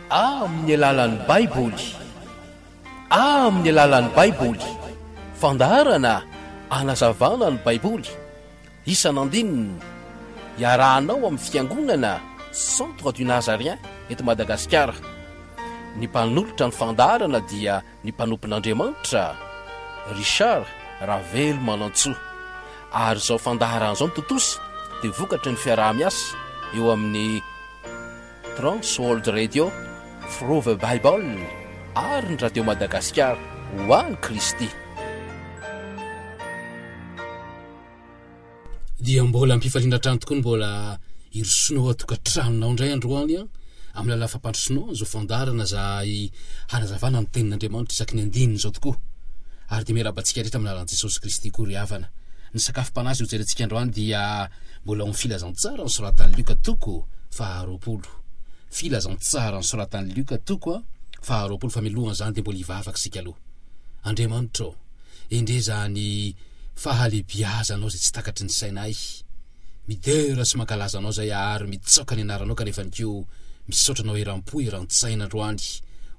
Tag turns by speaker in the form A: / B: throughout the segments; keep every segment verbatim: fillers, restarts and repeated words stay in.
A: Amin'ny alalan'ny Baiboly. Amin'ny alalan'ny Baiboly. Fandaharana anazavana ny Baiboly. Isan'andininy. Iarahanao amin'ny Fiangonana Centre du Nazarien eto Madagasikara. Ny mpanolotra ny fandaharana dia ny mpanompon'Andriamanitra Richard Ravelomanantsoa. Ary izao fandaharana izao no tontosa dia vokatry ny fiaraha-miasa eo amin'ny Trans World Radio, Through the Bible ary ny Radio Madagasikara ho an'i Kristy.
B: Dia mbola am-pifaliana hatrany tokoa ny mbola hirosoanao ao an-tokantranonao indray androany an, amin'ny alalan'ny fampandrosoanao an'izao fandaharana izay hanazavana ny tenin'Andriamanitra isaky ny andininy izao tokoa. Ary dia miarahaba antsika rehetra amin'ny alalan'i Jesosy Kristy koa ry havana. Ny sakafom-panahy izay hojerentsika androany dia mbola ao amin'ny filazantsara nosoratan'i Lioka toko faharoapolo. Filazantsara nosoratan'i Lioka toko faharoapolo fa mialohan'izany dia mbola hivavaka isika aloha. Andriamanitra ô, endrey izany fahalehibiazanao izay tsy takatry ny sainay. Midera sy mankalaza anao izay ary mitsaoka ny anaranao kanefany koa misaotra anao eram-po eran-tsaina androany.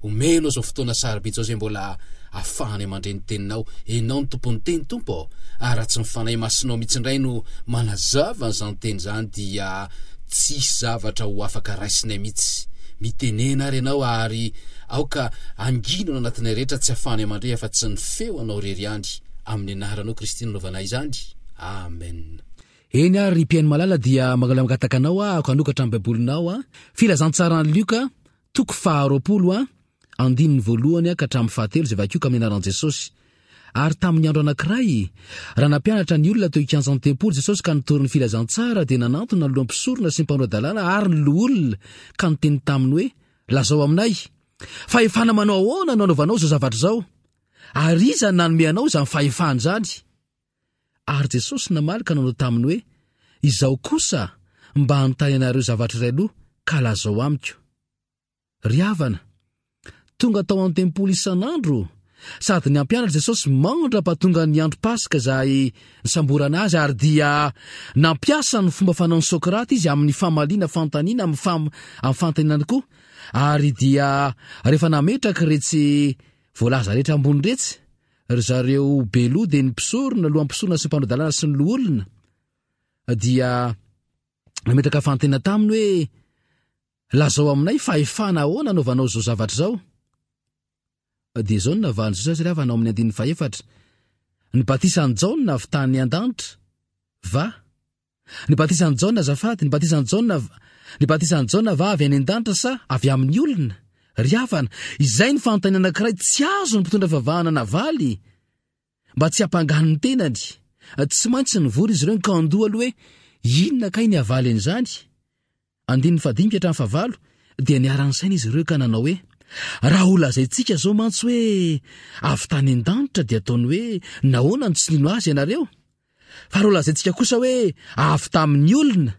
B: Omeo anao izao fotoana sarobidy izao izay mbola afahanay mandre ny teninao. Enao no tompon'ny teny Tompo ô, ary raha tsy ny Fanahy Masinao mihitsy indray no manazava an'izany teny izany dia tsy hisy zavatra ho afaka raisinay mihitsy. Mitenena ary ianao ary aoka hangina ao anatinay rehetra tsy afahanay mandre afa-tsy ny feo anao irery ihany. Amin'ny anaranao Kristy no anaovanay izany. Amen.
C: Eny ary ry mpihaino malala dia mangataka anao aho hanokatra ny baibolinao a. Filazantsaran'i Lioka toko faharoapolo a, andininy voalohany ka hatramin'ny fahatelo izay vakio ka amin'ny anaran'i Jesosy. Ary tamin'ny andro anankiray, raha nampianatra ny olona teo ikianjan'ny tempoly Jesosy ka nitory ny filazantsara dia nanantona ny lohan'ny mpisorona sy ny mpanora-dalàna ary ny loholona ka niteny taminy hoe, Lazao aminay, fahefana manao ahoana no anaovanao izao zavatra izao? Ary iza no nanome anao izany fahefana izany? Ary Jesosy namaly ka nanao taminy hoe, Izaho kosa mba hanontany anareo zavatra iray aloha, ka lazao amiko. Ry havana, tonga tao an-tempoly isan'andro sady nampianatra Jesosy mandra-pahatonga ny andro Paska izay nisamborana azy, ary dia nampiasa ny fomba fanaon'i Sokrata izy amin'ny famaliana fanontaniana amin'ny fam-, amin'ny fanontaniana koa, ary dia rehefa nametraka iretsy voalaza rehetra ambony iretsy ry zareo be loha dia ny mpisorona, lohan'ny mpisorona sy ny mpanao-dalàna sy ny loholona, dia nametraka fanontaniana taminy hoe, Lazao aminay fahefana ahoana anaovanao izao zavatra izao? Dia izao no navalin'i Jesosy ry havana ao amin'ny andininy fahefatra, Ny batisan'i Jaona avy tany an-danitra va? Ny batisan'i Jaona azafady, ny batisan'i Jaona, ny batisan'i Jaona va avy any an-danitra sa avy amin'ny olona? Ry havana, izay ny fanontaniana anankiray tsy azon'ny mpitondra fivavahana navaly mba tsy hampangany ny tenany. Tsy maintsy nivory izy ireo nikandoha aloha hoe inona kay ny havaly an'izany? Andininy fahadimy ka hatramin'ny fahavalo, dia niara-nisaina izy ireo ka nanao hoe, Raha holazaintsika izao mantsy hoe avy tany an-danitra dia ataony hoe nahoana no tsy nino azy ianareo? Fa raha holazaintsika kosa hoe avy tamin'ny olona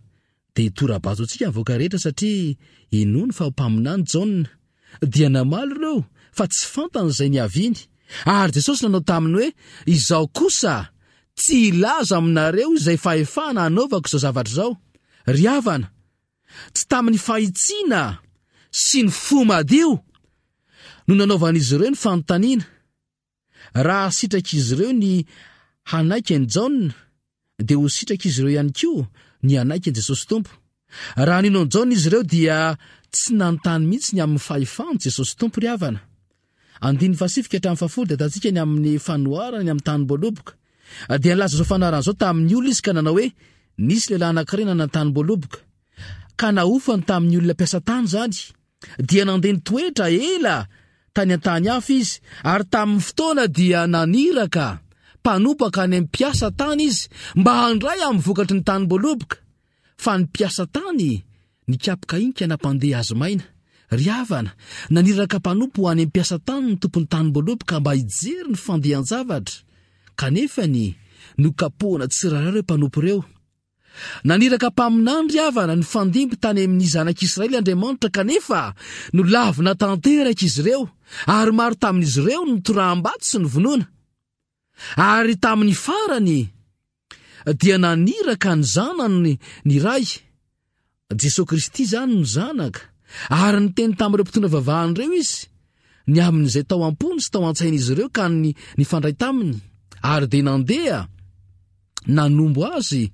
C: dia hitora-bato antsika ny vahoaka rehetra satria inoany fa ho mpaminany Jaona. Dia namaly ireo fa tsy fantany izay niaviany. Ary Jesosy nanao taminy hoe, Izaho kosa tsy hilaza aminareo izay fahefana hanaovako izao zavatra izao. Ry havana, tsy tamin'ny fahitsiana sy ny fo madio no nanaovan'izy ireo ny fanontaniana. Raha sitrak'izy ireo ny hanaiky an'i Jaona, dia ho sitrak'izy ireo ihany koa ny hanaiky an'i Jesosy Tompo. Raha nino an'i Jaona izy ireo dia tsy nanontany mihitsy ny amin'ny fahefan'i Jesosy Tompo ry havana. Andininy fahasivy ka hatramin'ny fahafolo dia ahitantsika ny amin'ny fanoharana ny amin'ny tanim-boaloboka. Dia nilaza izao fanoharana izao tamin'ny olona izy ka nanao hoe, Nisy lehilahy anankiray nanana tanim-boaloboka, ka nahofany tamin'ny olona mpiasa tany izany. Dia nandeha nitoetra ela tany an-tany hafa izy, ary tamin'ny fotoana dia naniraka mpanompo hankany amin'ny mpiasa tany izy mba handray amin'ny vokatry ny tanim-boaloboka. Fa ny mpiasa tany nikapoka iny ka nampandeha azy maina. Ry havana, naniraka mpanompo ho any amin'ny mpiasa tany ny tompon'ny tanim-boaloboka mba hijery ny fandehan-javatra. Kanefa ny nokapohana tsirairay ireo mpanompo ireo. Naniraka mpaminany ry havana nifandimby tany amin'ny zanak'Israely Andriamanitra kanefa nolavina tanteraka izy ireo ary maro tamin'izy ireo no toraham-bato sy novonoina. Ary tamin'ny farany dia naniraka ny zanany ny Ray. Jesoa Kristy izany no zanaka. Ary niteny tamin'ireo mpitondra vavahana ireo izy, ny amin'izay tao am-pony sy tao an-tsain'izy ireo ka ny nifandray taminy, ary dia nandeha nanombo azy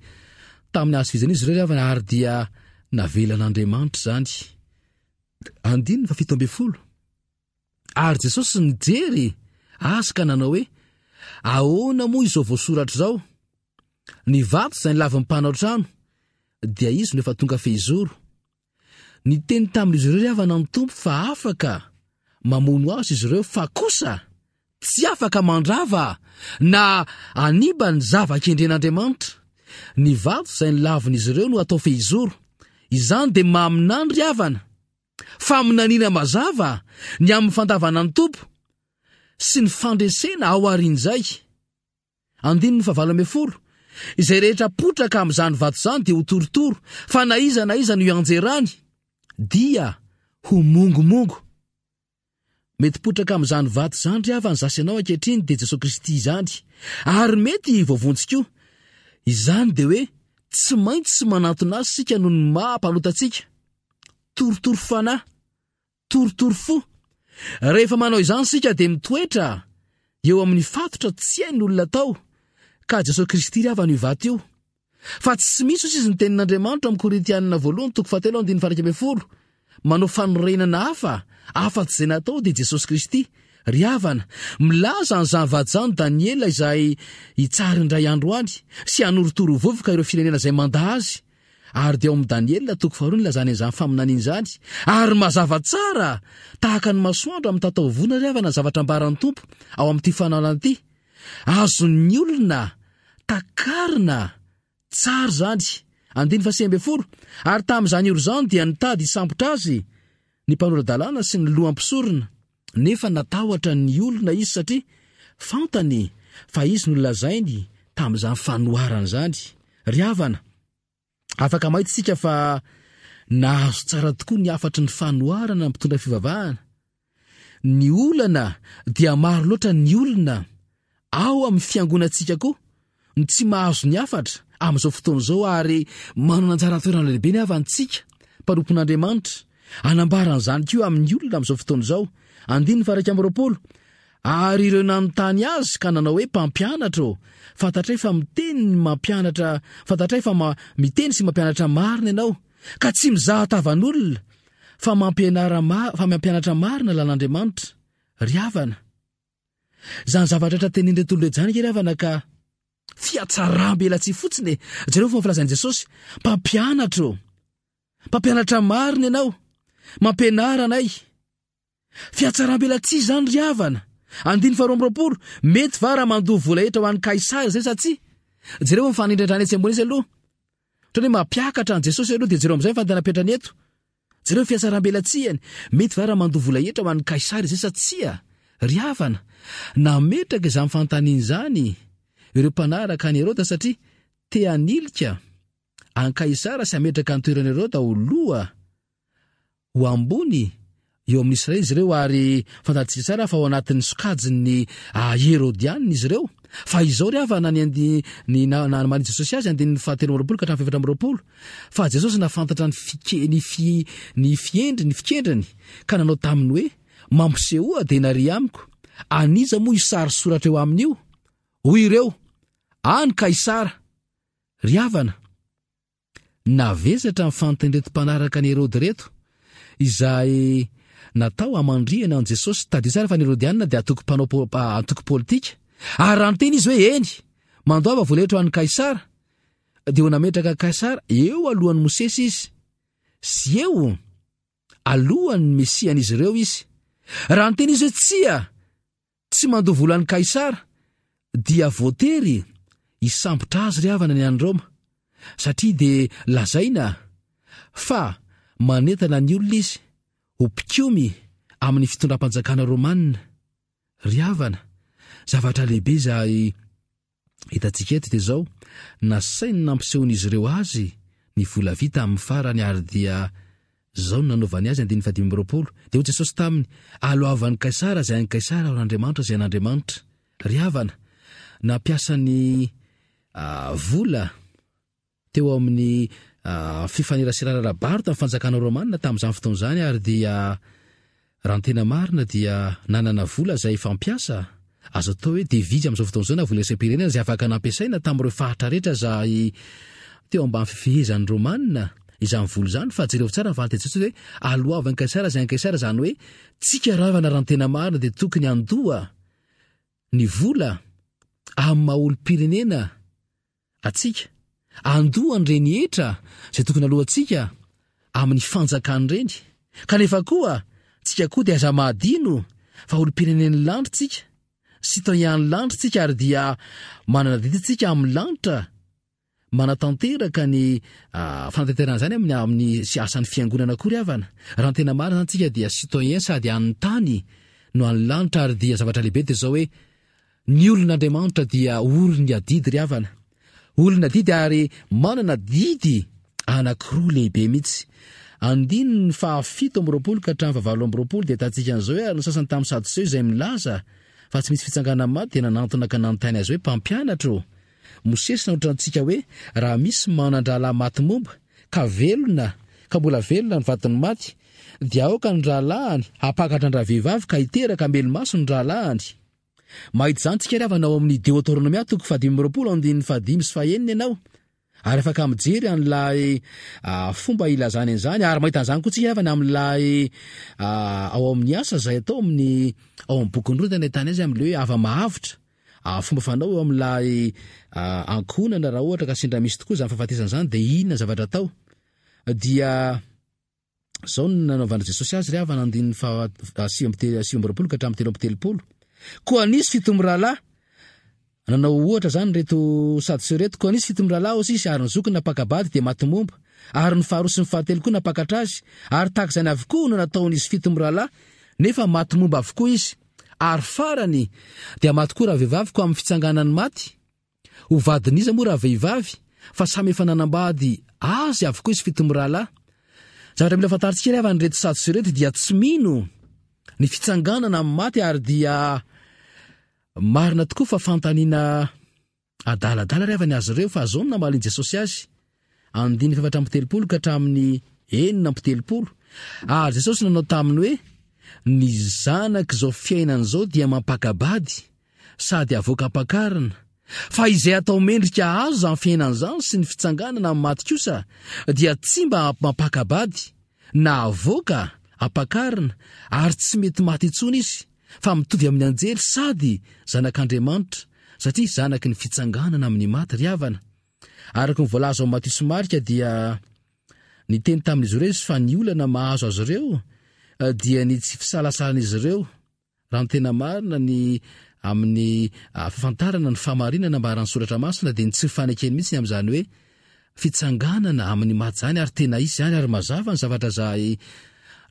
C: tamin'ny hazo fijaliana izy ireo ry havana, ary dia navelan'Andriamanitra izany. Andininy fahafito ambin'ny folo. Ary Jesosy nijery azy ka nanao hoe, Ahoana moa izao voasoratra izao? Ny vato izay nilavin'ny mpanao trano, dia izy no efa tonga fehizoro. Niteny tamin'izy ireo ry havana ny Tompo fa afaka mamono azy izy ireo, fa kosa tsy afaka mandrava na hanimba ny zava-kendren'Andriamanitra. Ny vato izay nilavin'izy ireo no atao fehizoro. Izany dia maminany ry havana. Faminaniana mazava ny amin'ny fandavana ny Tompo sy ny fandresena ao aorian'izay. Andininy fahavalo ambin'ny folo. Izay rehetra potraka amin'izany vato izany dia ho torotoro, fa na iza na iza no hianjerany dia ho mongomongo. Mety potraka amin'izany vato izany ry havana izaho sy ianao ankehitriny dia Jesoa Kristy izany. Ary mety voavonjy koa. Izany dia hoe tsy maintsy manantona azy isika noho ny maha mpanota antsika. Torotoro fanahy, torotoro fo. Rehefa manao izany isika dia mitoetra eo amin'ny fatotra tsy hain'olona atao, ka Jesoa Kristy ry havana io vato io. Fa tsy misy hoy izy ny tenin'Andriamanitra amin'ny Korintianina voalohany toko fahatelo andininy faha-iraika ambin'ny folo, manao fanorenana hafa afa-tsy izay natao dia Jesosy Kristy. Ry havana, milaza an'izany vato izany Daniela izay hitsara indray andro any sy hanorotoro vovoka ireo firenena izay mandà azy. Ary dia ao amin'i Daniela toko faharoa no ilazany an'izany faminaniana izany. Ary mazava tsara tahaka ny masoandro amin'ny tataovona ry havana ny zavatra ambaran'ny Tompo ao amin'ity fanalana ity. Azon'ny olona takarina tsara izany. Andininy fahasivy ambin'ny folo. Ary tamin'izany ora izany dia nitady hisambotra azy ny mpanora-dalàna sy ny loham-pisorona. Nefa natahotra ny olona izy satria fantany fa izy no nolazainy tamin'izany fanoharana izany. Ry havana, afaka mahita isika fa nahazo tsara tokoa ny hafatry ny fanoharana ny mpitondra fivavahana. Ny olana dia maro loatra ny olona ao amin'ny fiangonantsika koa no tsy mahazo ny hafatra amin'izao fotoana izao, ary manana anjara toerana lehibe ny havantsika mpanompon'Andriamanitra hanambara an'izany koa amin'ny olona amin'izao fotoana izao. Andininy faha-iraika amby roapolo. Ary ireo nanontany azy ka nanao hoe, Mpampianatra ô, fantatray fa miteny ny mampianatra, fantatray fa ma, miteny sy mampianatra marina ianao, ka tsy mizaha tavan'olona, fa mampianara ma, fa mampianatra marina lalan'Andriamanitra. Ry havana, izany zavatra rehetra tenenin'ireto olona ireto izany ange ry havana ka fihatsaram-belatsihy fotsiny e. Jereo ny fomba filazan'i Jesosy, Mpampianatra ô, mpampianatra marina ianao, mampianara anay. Fihatsaram-belatsihy izany ry havana. Andininy faharoa amby roapolo, mety va raha mandoa vola hetra ho an'i Kaisara izay sa tsia? Jereo ny fanindrandrana etsy ambony etsy aloha. Ohatran'ny hoe mampiakatra an'i Jesosy aloha, dia jereo amin'izay ny fanontaniana apetrany eto. Jereo ny fihatsaram-belatsihany. Mety va raha mandoa vola hetra ho an'i Kaisara izay sa tsia? Ry havana, nametraka izany fanontaniana izany ireo mpanaraka an'i Heroda satria te hanilika an'i Kaisara sy hametraka ny toeran'i Heroda ho loha ho ambony eo amin'ny Israely izy ireo, ary fantatsika tsara fa ao anatin'ny sokajin'ny Herodianina izy ireo. Fa izao ry havana ny andi ny namalin'i Jesosy azy, andininy fahatelo amby roapolo ka hatramin'ny fahefatra amby roapolo, fa Jesosy nahafantatra ny fike ny fi ny fiendry ny fikendriny ka nanao taminy hoe, Mampisehoa denaria amiko, an'iza moa io sary soratra eo aminy io? Hoy ireo, An'i Kaisara. Ry havana, Navesatra ny fantin'ireto mpanaraka an'i Heroda ireto, izay natao hamandrihana an'i Jesosy. Tadidio tsara fa ny Herodianina dia antoko mpanao antoko politika. Ary raha niteny izy hoe eny, mandoava vola hetra ho an'i Kaisara, dia ho nametraka Kaisara eo alohan'i Mosesy izy, sy eo alohan'ny Mesian'izy ireo izy. Raha niteny izy hoe tsia, Tsy mandoa vola an'i Kaisara dia voatery hisambotra azy ry havana ny any Roma, satria dia lazaina fa manentana ny olona izy ho mpikomy amin'ny fitondram-panjakana romanina. Ry havana, zavatra lehibe izay Hitantsika eto dia izao, nasainy nampisehon'izy ireo azy ny vola vita amin'ny farany ary dia izao no nanaovany azy, andininy fahadimy amby roapolo, dia hoy Jesosy taminy, Aloavan'i Kaisara izay an'i Kaisara ary an'Andriamanitra izay an'Andriamanitra. Ry havana, nampiasa ny vola teo amin'ny fifaneraserana ara-barotra tamin'ny fanjakana romanina tamin'izany fotoana izany, ary dia raha ny tena marina dia nanana vola izay fampiasa, azo atao hoe devise amin'izao fotoana izao na vola iraisam-pirenena izay afaka nampiasaina tamin'ireo faritra rehetra izay teo ambany fifehezan'ny romanina izany vola izany. Fa jereo tsara ny valin-teny Jesosy hoe aloavy an'i Kaisara izay an'i Kaisara, izany hoe tsika ravana raha ny tena marina dia tokony handoa ny vola amin'ny maha olom-pirenena atsika, andoha an'ireny hetra izay tokony aloantsika amin'ny fanjakan'ireny. Kanefa koa tsika koa dia aza mahadino fa olom-pirenen'ny lanitra tsika, citoyen-n'ny lanitra tsika, ary dia manana adidy tsika amin'ny lanitra manatanteraka ny fanatanterahana izany amin'ny amin'ny sy asan'ny fiangonana akory havana. Raha ny tena marina izany tsika dia citoyen sady an'ny tany no an'ny lanitra, ary dia zavatra lehibe dia izao hoe ny olon'Andriamanitra dia olon'ny adidy ry havana. Olona adidy ary manana didy anankiroa lehibe mihitsy. Andininy fahafito amby roapolo ka hatramin'ny fahavalo amby roapolo dia ahitantsika an'izao hoe ary ny sasany tamin'ny Sadoseo izay milaza fa tsy misy fitsanganana maty dia nanantona ka nanontany azy hoe, Mpampianatra ô, Mosesy nanoratra antsika hoe raha misy manan-drahalahy maty momba ka velona ka mbola velona ny vadiny maty dia aoka ny rahalahiny hampakatra an-dravehivavy ka hiteraka hamelo-maso ny rahalahiny. Mahita izany tsika ry havana ao amin'ny Deoteronomia toko fahadimy amby roapolo andininy fahadimy sy fahenina ianao ary afaka mijery an'ilay fomba ilazany an'izany ary mahita an'izany koa tsika ry havana amin'ilay ao amin'ny asa izay atao amin'ny ao amin'ny bokin'ny Rota ny ahitana azy amin'ilay hoe hava-mahavotra. Fomba fanao eo amin'ilay ankohonana raha ohatra ka sendra misy tokoa izany fahafatesana izany dia inona zavatra atao? Dia izao no nanaovan'i Jesosy azy ry havana, andininy faha sivy amby te-, sivy amby roapolo ka hatramin'ny telo amby telopolo. Koa nisy fito mirahalahy, nanao ohatra izany ireto Sadoseo ireto, koa nisy fito mirahalahy hoy izy, ary ny zokiny nampaka-bady dia maty momba, ary ny faharoa sy ny fahatelo koa nampakatra azy, ary tahaka izany avokoa no nataon'izy fito mirahalahy, nefa maty momba avokoa izy. Ary farany, dia maty koa rahavehivavy, koa amin'ny fitsanganan'ny maty, ho vadin'iza moa rahavehivavy, fa samy efa nanambady azy avokoa izy fito mirahalahy. Zavatra mila fantarintsika ry havana, ireto Sadoseo ireto dia tsy mino ny fitsanganana amin'ny maty, ary dia marina tokoa fa fanontaniana Adaladala ry havana azy ireo fa zao no namalin'i Jesosy azy, andininy fahefatra amby telopolo ka hatramin'ny enina amby telopolo, Ary Jesosy nanao taminy hoe, Ny zanak'izao fiainana izao dia mampaka-bady sady avoaka am-pakarina, fa izay atao mendrika hahazo izany fiainana izany sy ny fitsanganana amin'ny maty kosa dia tsy mba mampaka-bady na avoaka am-pakarina, ary tsy mety maty intsony izy, fa mitovy amin'ny anjely sady zanak'Andriamanitra, satria zanaky ny fitsanganana amin'ny maty ry havana. Araka ny voalaza ao Matio sy Marika dia niteny tamin'izy ireo Izy fa ny olana mahazo azy ireo dia ny tsy fisalasalan'izy ireo, raha ny tena marina, ny amin'ny fahafantarana ny fahamarinana ambaran'ny Soratra Masina dia ny tsy fanekeny mihitsy ny amin'izany hoe fitsanganana amin'ny maty izany, ary tena hisy izany, ary mazava ny zavatra izay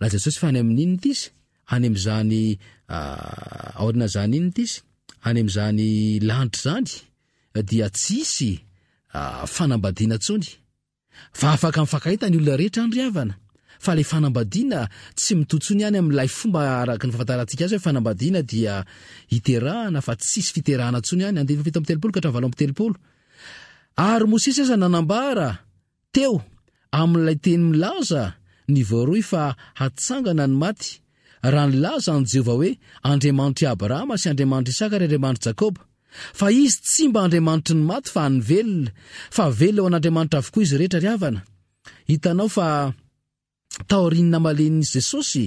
C: lazain'i Jesosy fa any amin'inona ity izy? Any amin'izany aorian'izany inona ity izy? Any amin'izany lanitra izany dia tsy hisy fanambadiana intsony. Fa afaka mifankahita ny olona rehetra any ry havana. Fa ilay fanambadiana tsy mitohy intsony any amin'ilay fomba araka ny fahafantarantsika azy hoe fanambadiana dia hiterahana fa tsy hisy fiterahana intsony any. Andininy fahafito amby telopolo ka hatramin'ny valo amby telopolo. Ary Mosesy aza nanambara teo amin'ilay teny milaza ny voaroy fa hatsangana ny maty, raha nilaza an'i Jehovah hoe Andriamanitr'i Abrahama sy Andriamanitr'i Isaka ary Andriamanitr'i Jakoba. Fa Izy tsy mba Andriamanitry ny maty fa an'ny velona, fa velona ho an'Andriamanitra avokoa izy rehetra ry havana. Hitanao fa taorian'ny namalian'i Jesosy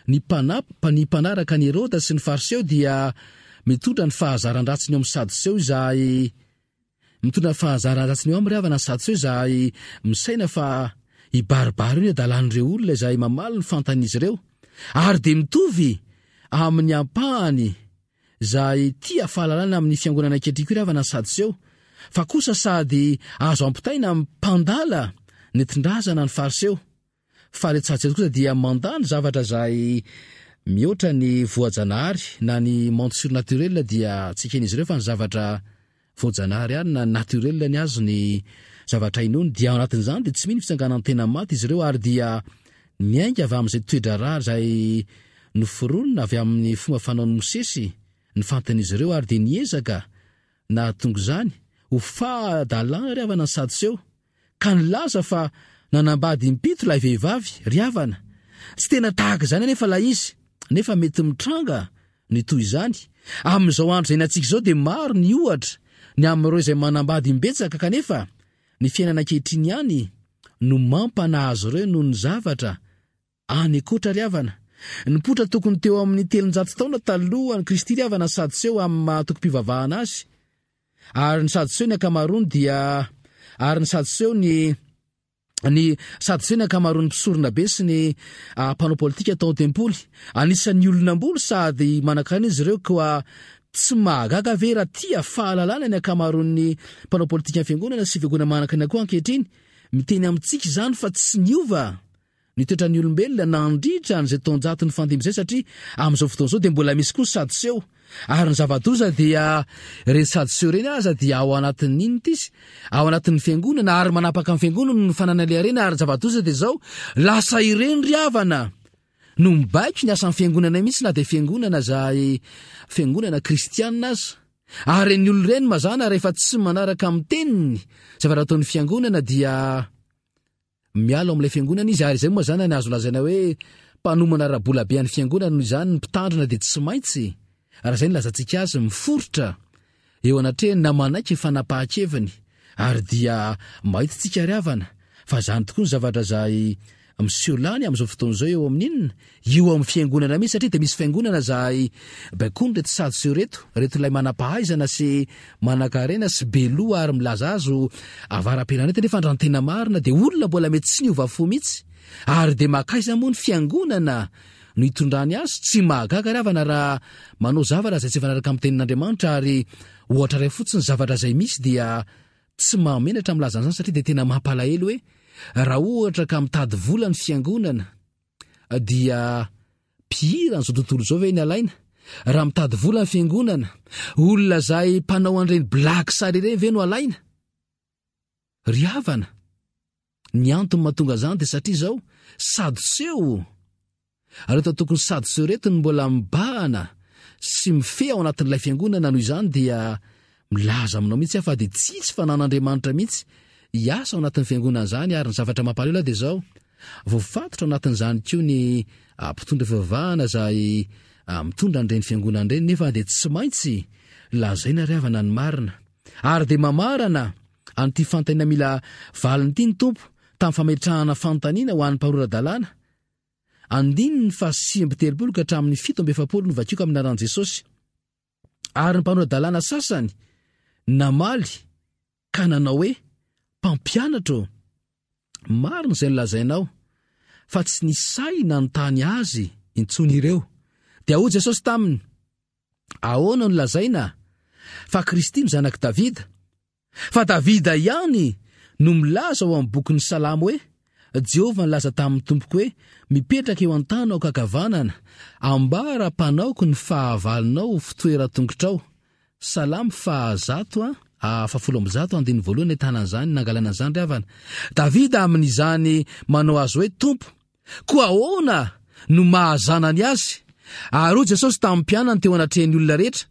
C: ny mpanap, ny mpanaraka an'i Heroda sy ny Fariseo dia mitondra ny fahazaran-dratsiny eo amin'ny Sadoseo izahay Mitondra ny fahazaran-dratsiny eo aminy ry havana ny Sadoseo izahay misaina fa hibaribary eo ny hadalan'ireo olona izay mamaly ny fantan'izy ireo. Ary dia mitovy amin'ny ampahany izay tia fahalalana amin'ny fiangonana ankehitriny koa ry havana ny Sadoseo, fa kosa sady azo ampitaina amin'ny mpandala nentin-drazana ny Fariseo. Fa ilay Sadoseo kosa dia mandà ny zavatra izay mihoatra ny voajanahary na ny monde surnaturel dia tsy eken'izy ireo fa ny zavatra voajanahary ihany na naturel ny azy ny zavatra inoany dia ao anatin'izany dia tsy mino fitsanganan'ny tena maty izy ireo ary dia miainga avy amin'izay toe-draharaha izay noforonina avy amin'ny fomba fanaon'i Mosesy ny fantan'izy ireo ary dia niezaka nahatonga izany ho fahadalana ry havana ny Sadoseo ka nilaza fa nanambady impito ilay vehivavy, ry havana. Tsy tena tahaka izany anefa ilay izy, nefa mety mitranga ny toy izany. Amin'izao andro izay iainantsika izao dia maro ny ohatra ny amin'ireo izay manambady imbetsaka kanefa ny fiainana ankehitriny ihany no mampanahy azy ireo noho ny zavatra any ankoatra ry havana. Nipoitra tokony teo amin'ny telonjato taona talohan'i Kristy ry havana ny Sadoseo amin'ny maha antokom-pivavahana azy. Ary ny Sadoseo ny ankamaroany dia ary ny Sadoseo ny ny Sadoseo ny ankamaroan'ny mpisorona be sy ny ah, mpanao politika tao an-tempoly. Anisan'ny olona ambony sady manan-karena izy ireo koa tsy mahagaga ve raha tia fahalalana ny ankamaroan'ny mpanao politikan'ny fiangonana sy fiangonana manan-karena koa ankehitriny? Miteny amintsika izany fa tsy niova ny toetran'ny olombelona nandritra an'izay taonjato nifandimby izay satria amin'izao fotoana izao dia mbola misy koa ny Sadoseo. Ary ny zava-doza dia ireny Sadoseo ireny aza dia ao anatin'ny inona ity izy? Ao anatin'ny fiangonana ary manapaka ny fiangonana noho ny fananana ilay harena ary ny zava-doza dia izao, lasa ireny ry havana no mibaiko ny asan'ny fiangonana mihitsy na dia fiangonana izay fiangonana kristianina aza. Ary ireny olona ireny mazàna rehefa tsy manaraka amin'ny teniny zavatra ataon'ny fiangonana dia Miala ao amin'ilay fiangonana izy ary izay moa mazàna ny azo lazaina hoe mpanomana ara-bola be an'ny fiangonana noho izany ny mpitandrina dia tsy maintsy, raha izay no ilazantsika azy, miforitra eo anatrehany na manaiky ny fanapahan-keviny ary dia mahita tsika ry havana fa izany tokoa ny zavatra izay miseho lany amin'izao fotoana izao eo amin'ny inona? Eo amin'ny fiangonana mihitsy satria dia misy fiangonana izay baikoiny ireto sadoseo ireto, ireto ilay manam-pahaizana sy manankarena sy be loha ary milaza azy ho avara-pirenena ireto nefa raha ny tena marina dia olona mbola mety tsy niova fo mihitsy ary dia makaiza moa ny fiangonana no hitondrany azy? Tsy mahagaga ry havana raha manao zavatra izay tsy mifanaraka amin'ny tenin'Andriamanitra ary ohatra iray fotsiny zavatra izay misy dia Tsy mahamenatra milaza an'izany satria dia tena mampalahelo hoe raha ohatra ka mitady vola ny fiangonana dia mpihira an'izao tontolo izao ve ny alaina? Raha mitady vola ny fiangonana, olona izay mpanao an'ireny blague sary ireny ve no alaina? Ry havana, ny antony mahatonga izany dia satria izao, sadoseo Ary eto tokony sadoseo ireto no mbola mibahana sy mifehy ao anatin'ilay fiangonana noho izany dia milaza aminao mihitsy aho fa dia tsy hisy fanan'Andriamanitra mihitsy hiasa ao anatin'ny fiangonana izany ary ny zavatra mampalahelo ahy dia izao voafatotra ao anatin'izany koa ny ah, mpitondra fivavahana izay ah, mitondra an'ireny fiangonana ireny nefa dia tsy maintsy lazaina ry havana ny marina ary dia mamarana an'ity fanontaniana mila valiny ity ny Tompo tamin'ny fametrahana fanontaniana ho an'ny mpanora-dalàna Andininy faha sivy amby telopolo ka hatramin'ny fito amby efapolo no vakiko amin'ny anaran'i Jesosy. Ary ny mpanora-dalàna sasany namaly ka nanao hoe, Mpampianatra ô, marina izay nolazainao, fa tsy nisy sahy nanontany azy intsony ireo. Dia hoy Jesosy taminy, Ahoana no lazaina fa Kristy no zanak'i Davida? Fa Davida ihany no milaza ao amin'ny bokin'ny Salamo hoe, Jehovah nilaza tamin'ny Tompoko hoe, Mipetraka eo an-tanako ankavanana, ambara mpanaoko ny fahavalonao ho fitoeran-tongotrao. Salamo fahazato a, fahafolo amby zato, andininy voalohany ahitana an'izany, nangalana an'izany ry havana. Davida amin'izany manao azy hoe Tompo. Koa ahoana no maha zanany azy? Ary hoy Jesosy tamin'ny mpianany teo anatrehan'ny olona rehetra,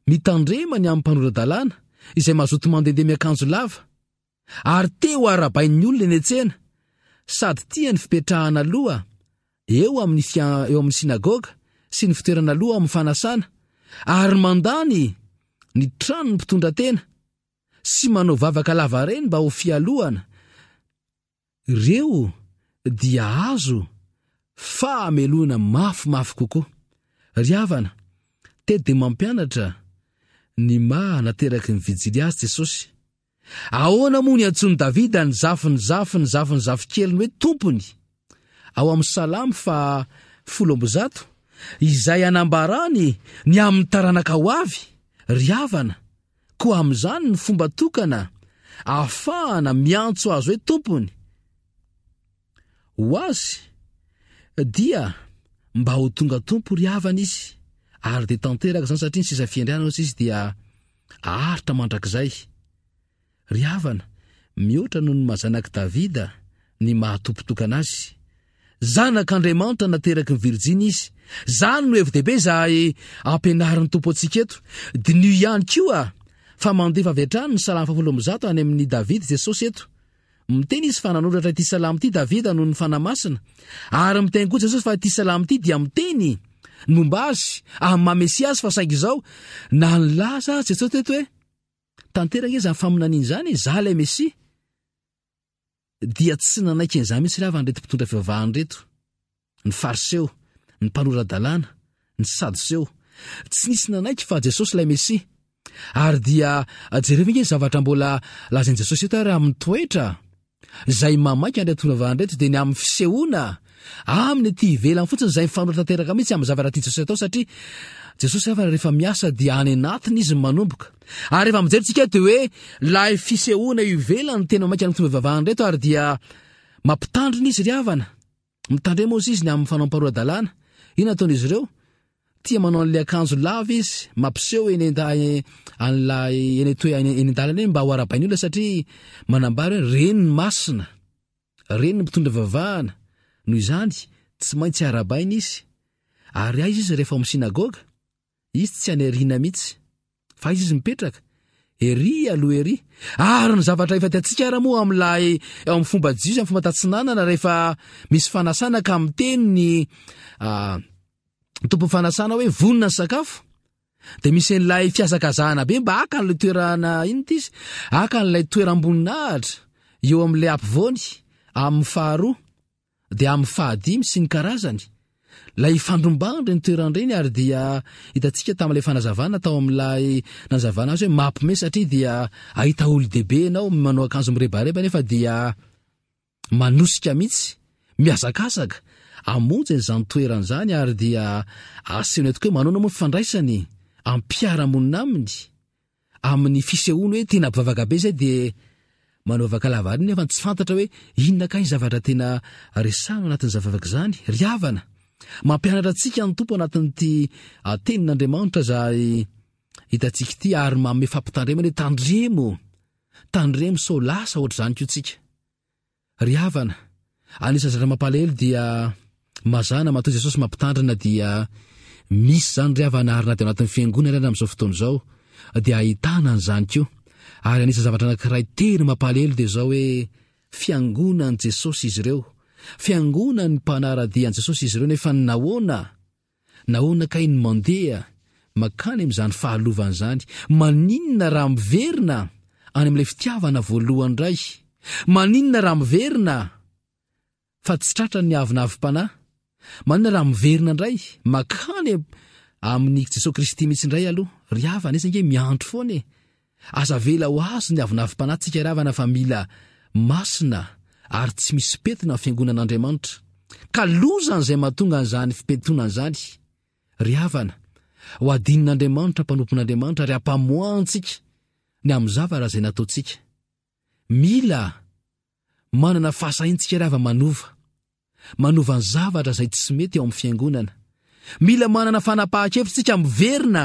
C: Mitandrema ny amin'ny mpanora-dalàna, izay mazoto mandehandeha miakanjo lava, ary te ho arahabain'ny olona eny an-tsena, sady tia ny fipetrahana aloha eo amin'ny fia, eo amin'ny synagoga sy ny fitoerana aloha amin'ny fanasana, ary mandany ny tranon'ny mpitondra tena, sy manao vavaka lavareny mba ho fialohana. Ireo dia azo fahamelohana mafimafy kokoa. Ry havana, teto dia mampianatra ny maha nateraky ny vijily azy Jesosy. Ahoana moa niantsoan'i Davida ny zafin'ny zafin'ny zafin'ny zafikeliny hoe tompony? Ao amin'ny Salamo faha folo amby zato, izay anambarany ny amin'ny taranaka ho avy, ry havana, Koa amin'izany ny fomba tokana ahafahana miantso azy hoe tompony ho azy dia mba ho tonga tompo ry havana izy ary dia tanteraka izany satria ny sisa fiandrianana hozy izy dia aharitra mandrakizay. Ry havana, mihoatra noho ny maha zanak'i Davida ny maha tompo tokana azy. Zanak'Andriamanitra nateraky ny Virjiny izy. Izany no hevi-dehibe izay ampianarin'ny Tompo antsika eto. Diniho ihany koa fa mandefa avy hatrany ny Salamo fahafolo amby zato any amin'i Davida Jesosy eto. Miteny izy fa nanoratra ity salamo ity Davida noho ny Fanahy Masina. Ary miteny koa Jesosy fa ity salamo ity dia miteny ny momba azy amin'ny maha Mesia azy fa saingy izao na nilaza azy Jesosy teto hoe tanteraka izany faminaniana izany, izaho ilay Mesia, dia tsy nanaiky an'izany mihitsy ry havana ireto mpitondra fivavahana ireto, ny Fariseo, ny mpanora-dalàna, ny Sadoseo. Tsy nisy nanaiky fa Jesosy ilay Mesia. Ary dia jereo ange ny zavatra mbola lazain'i Jesosy eto ary amin'ny toetra izay mamaika an'ireto fivavahana ireto dia ny amin'ny fisehoana aminy ety ivelany fotsiny izay mifanohitra tanteraka mihitsy amin'ny zavatra tian'i Jesosy atao satria Jesosy hafa rehefa miasa dia any anatiny izy no manomboka. Ary rehefa mijery tsika dia hoe ilay fisehoana eo ivelany tena maika ny fivavahana ireto ary dia mampitandrina izy ry havana. Mitandrema ozy izy ny amin'ny fanaom-paroa-dalàna. Inona ataon'izy ireo? Tia manao an'ilay akanjo lava izy, mampiseho eny an'ilay eny eny an-dalana eny mba ho arahabain'ny olona satria manambara hoe reny ny masina, reny ny mpitondra vavahana. Noho izany, tsy maintsy arahabaina izy. Ary aiza izy rehefa ao amin'ny synagoga? Izy tsy any aoriana mihitsy. Fa aiza izy mipetraka? Ery aloha ery. Ary ny zavatra efa hitantsika ara moa amin'ilay eo amin'ny fomba jiosy, amin'ny fomba tatsinanana, rehefa misy fanasana ka miteny ny ah, tompon'ny fanasana hoe vonona ny sakafo, dia misy an'ilay fihazakazahana be mba haka an'ilay toerana inona ity izy? Haka an'ilay toeram-boninahitra eo amin'ilay ampovoany, amin'ny faharoa. Dia amin'ny fahadimy sy ny karazany. Ilay ifandrombahana ireny toerana ireny ary dia hitantsika tamin'ilay fanazavana tao amin'ilay nanazavana azy hoe mampime satria dia ahita olo-dehibe ianao manao akanjo mirebareba nefa dia manosika mihitsy, mihazakazaka hamonjy an'izany toerana izany ary dia asehony tokoa hoe manaona moa ny fifandraisany amin'ny mpiara-monina aminy. Amin'ny fisehoany hoe tena mpivavaka be izay dia manao vavaka lava ary nefa tsy fantatra hoe inona kay ny zavatra tena resahina anatin'izany vavaka izany. Ry havana, mampianatra antsika ny Tompo anatin'ity tenin'Andriamanitra izay hitantsika ity ary manome fampitandremana hoe tandremo, tandremo sao lasa ohatr'izany koa tsika. Ry havana, anisan'ny zavatra mampalahelo dia mazàna matoa Jesosy mampitandrina dia misy izany ry havana ary na dia anatin'ny fiangonana ary amin'izao fotoana izao dia ahitana an'izany koa. Ary anisan'ny zavatra anankiray tena mampalahelo dia izao hoe fiangonan'i Jesosy izy ireo. Fiangonan'ny mpanara-dia an'i Jesosy izy ireo nefa nahoana? Nahoana kay ny mandeha makany amin'izany fahalovana izany? Maninona raha miverina any amin'ilay fitiavana voalohany indray? Maninona raha miverina fa tsy tratra ny avonavom-panahy? Maninona raha miverina indray makany amin'i Jesoa Kristy mihitsy indray aloha? Ry havana, izy ange miandry foana e! Aza avela ho azo ny avonavom-panahy tsika ry havana fa mila masina ary tsy misy pentina ny fiangonan'Andriamanitra. Ka lozan'izay mahatonga an'izany fipentonana izany. Ry havana, ho adinin'Andriamanitra mpanompon'Andriamanitra ary hampamoahantsika ny amin'ny zavatra izay nataontsika. Mila manana fahasahiantsika ry havana manova. Manova ny zavatra izay tsy mety ao amin'ny fiangonana. Mila manana fanapahan-kevitra isika miverina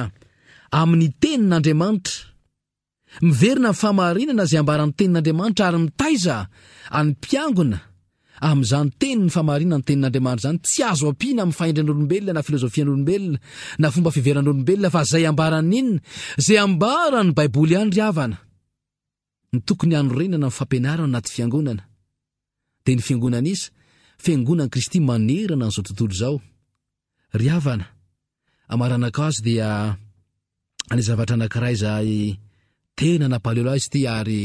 C: amin'ny tenin'Andriamanitra. Miverina amin'ny fahamarinana izay ambaran'ny tenin'Andriamanitra ary mitaiza an'ny mpiangona amin'izany tenin'ny fahamarinana ny tenin'Andriamanitra izany. Tsy azo ampiana amin'ny fahendren'olombelona na filozofian'olombelona na fomba fiheveran'olombelona fa izay ambaran'ny inona? Izay ambaran'ny Baiboly ihany ry havana no tokony hanorenana ny fampianarana anaty fiangonana. Dia ny fiangonana iza? Fiangonan'i Kristy manerana an'izao tontolo izao. Ry havana, amaranako azy dia ny zavatra anankiray izay tena nampalelo ahy izy ity ary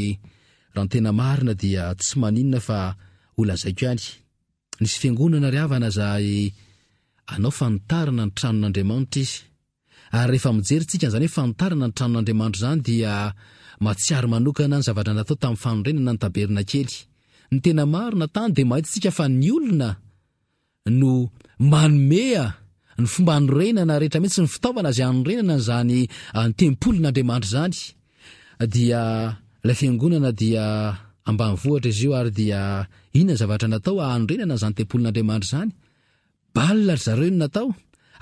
C: raha ny tena marina dia tsy maninona fa ho lazaiko ihany. Nisy fiangonana ry havana izay anao fanitarana ny tranon'Andriamanitra izy. Ary rehefa mijery tsika an'izany hoe fanitarana ny tranon'Andriamanitra izany dia mahatsiaro manokana ny zavatra natao tamin'ny fanorenana ny tabernakely. Ny tena marina tany dia mahita tsika fa ny olona no manome ny fomba hanorenana rehetra mihitsy ny fitaovana izay hanorenana an'izany tempolin'Andriamanitra izany. Dia ilay fiangonana dia ambanivohitra izy io ary dia inona ny zavatra natao hanorenana an'izany tempolin'Andriamanitra izany? Bal ry zareo no natao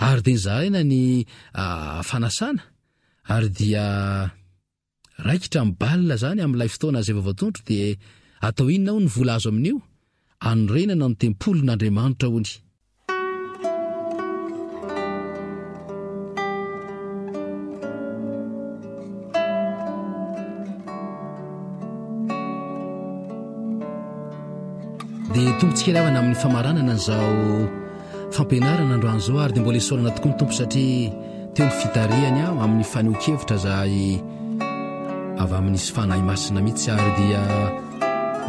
C: ary dia nozaraina ny fanasana ary dia raikitra ny bal zany amin'ilay fotoana izay vao voatondro dia atao inona hono ny vola azo amin'io? Anorenana ny tempolin'Andriamanitra hony. Dia tonga ry havana amin'ny famaranana an'izao fampianarana androany izao, ary dia mbola isaorana tokoa ny Tompo satria teo ny fitarihany aho amin'ny fanehoan-kevitra izay avy amin'ny Fanahy Masina mihitsy, ary dia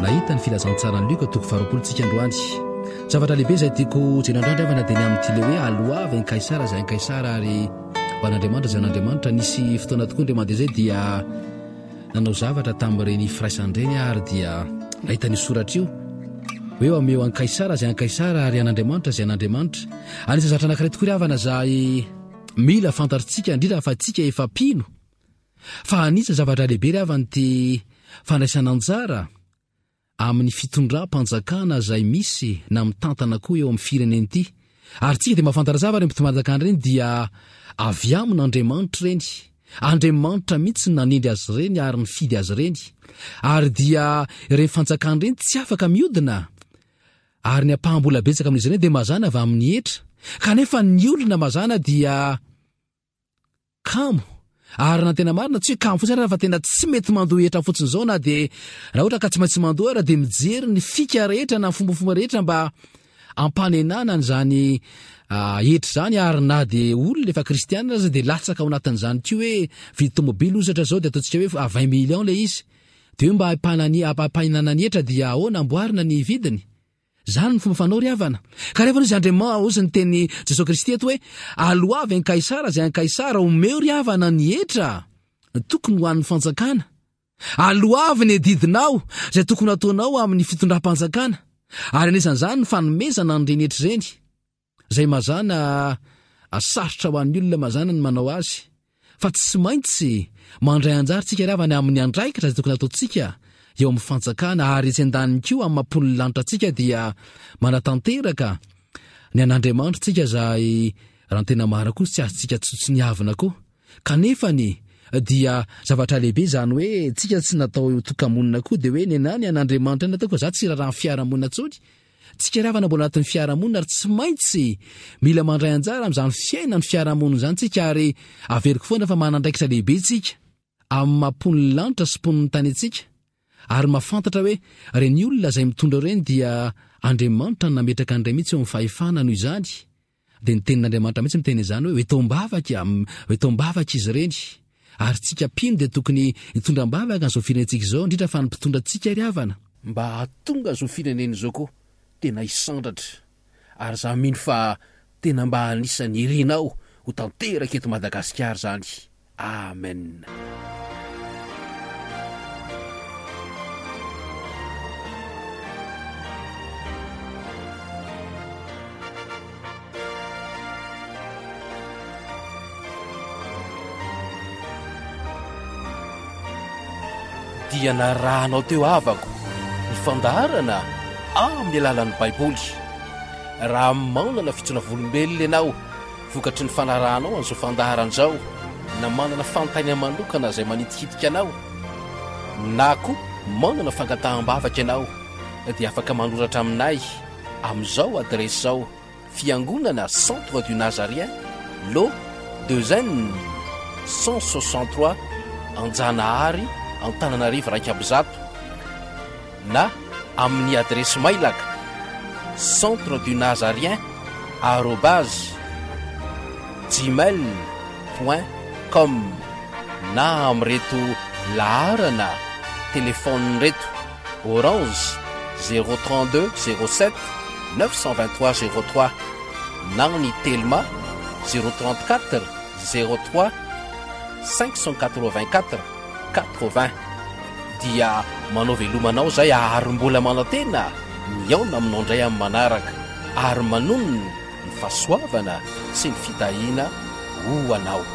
C: nahita ny filazantsaran'i Lioka toko faharoapolo tsika androany. Zavatra lehibe izay tiako jerena androany ry havana dia ny amin'ity le hoe aloavy an'i Kaisara izay an'i Kaisara ary ho an'Andriamanitra izay an'Andriamanitra. Nisy fotoana tokoa indray mandeha izay dia nanao zavatra tamin'ireny firaisana ireny ary dia nahita ny soratra io hoe omeo an'i Kaisara izay an'i Kaisara ary an'Andriamanitra izay an'Andriamanitra. Anisan'ny zavatra anankiray tokoa ry havana izay mila fantatritsika, indrindra fa tsika efa mpino, fa anisan'ny zavatra lehibe ry havana ity fandraisana anjara amin'ny fitondram-panjakana izay misy na mitantana koa eo amin'ny firenena ity. Ary tsika dia mahafantatra tsara ireny mpitondram-panjakana ireny dia avy amin'Andriamanitra ireny. Andriamanitra mihitsy no nanendry azy ireny ary nifidy azy ireny. Ary dia ireny fanjakana ireny tsy afaka miodina. Ary ny ampaham-bola betsaka amin'izy ireny dia mazàna avy amin'ny hetra. Kanefa ny olona mazàna dia kamo. Ary na tena marina tsy hoe kamo fotsiny ary fa tena tsy mety mandoa hetra fotsiny izao, na dia raha ohatra ka tsy maintsy mandoa ary dia mijery ny fika rehetra na ny fombafomba rehetra mba ampanenana an'izany hetra izany. Ary na dia olona efa kristianina aza dia latsaka ao anatin'izany koa hoe vidy tomobily ohatra izao dia ataontsika hoe vingt millions ilay izy, dia hoe mba ampanani-, ampahinana ny hetra dia ahoana amboarina ny vidiny. Izany ny fomba fanao ry havana. Ka rehefa nisy Andriamanitra, hoy ny teny Jesosy Kristy eto hoe aloavy an'i Kaisara izay an'i Kaisara, omeo ry havana ny hetra tokony ho an'ny fanjakana. Aloavy ny adidinao izay tokony hataonao amin'ny fitondram-panjakana. Ary anisan'izany ny fanomezana an'ireny hetra ireny, izay mazàna sarotra ho an'ny olona mazàna ny manao azy. Fa tsy maintsy mandray anjara tsika ry havana amin'ny andraikitra izay tokony hataontsika eo amin'ny fanjakana, ary etsy andaniny koa amin'ny maha-mponin'ny lanitra antsika dia manatanteraka ny an'Andriamanitra tsika izay raha ny tena marina koa tsy azontsika tsotsoniavina koa. Kanefa ny dia zavatra lehibe izany hoe tsika tsy natao ho tokamonina koa, dia hoe ny anà ny an'Andriamanitra ny nataoko fa za tsy raharaha ny fiarahamonina intsony. Tsika ry havana mbola anatin'ny fiarahamonina ary tsy maintsy mila mandray anjara amin'izany fiainan'ny fiarahamonina izany tsika, ary averiko foana fa manana andraikitra lehibe tsika amin'ny maha-mponin'ny lanitra sy mponin'ny tany antsika, ary mahafantatra hoe ireny olona izay mitondra ireny dia Andriamanitra no nametraka an'ireny mihitsy eo amin'ny fahefana. Noho izany dia ny tenin'Andriamanitra mihitsy miteny izany hoe eto am-bavaka, eto am-bavaka izy ireny. Ary tsika mpino dia tokony hitondra am-bavaka an'izao firenentsika izao, indrindra fa ny mpitondra antsika ry havana.
A: Mba hahatonga izao firenena izao koa tena hisandratra. Ary za mino fa tena mba anisan'ny irinao ho tanteraka eto Madagasikara izany. Amen. Dia narahanao teo havako ny fandaharana amin'ny alalan'ny Baiboly. Raha manana fitsoana volombelona ianao vokatry ny fanarahanao an'izao fandaharana izao, na manana fanontaniana manokana izay manitikitika anao, na koa manana fangataham-bavaka ianao, dia afaka manoratra aminay amin'izao adiresy izao: Fiangonana Centre du Nazarien, Lot deux N cent soixante-trois, Anjanahary, Antananarivo iraika amby zato, na amin'ny adiresy mailaka centre du nazarien arobase gmail point com na amin'ireto laharana telefaonina ireto: Orange zéro trente-deux zéro sept neuf cent vingt-trois zéro trois, na ny Telma zéro trente-quatre zéro trois cinq cent quatre-vingt-quatre quatre-vingts. Dia manao veloma anao izay ary mbola manantena mihaona aminao indray amin'ny manaraka, ary manonona ny fahasoavana sy ny fitahiana ho anao.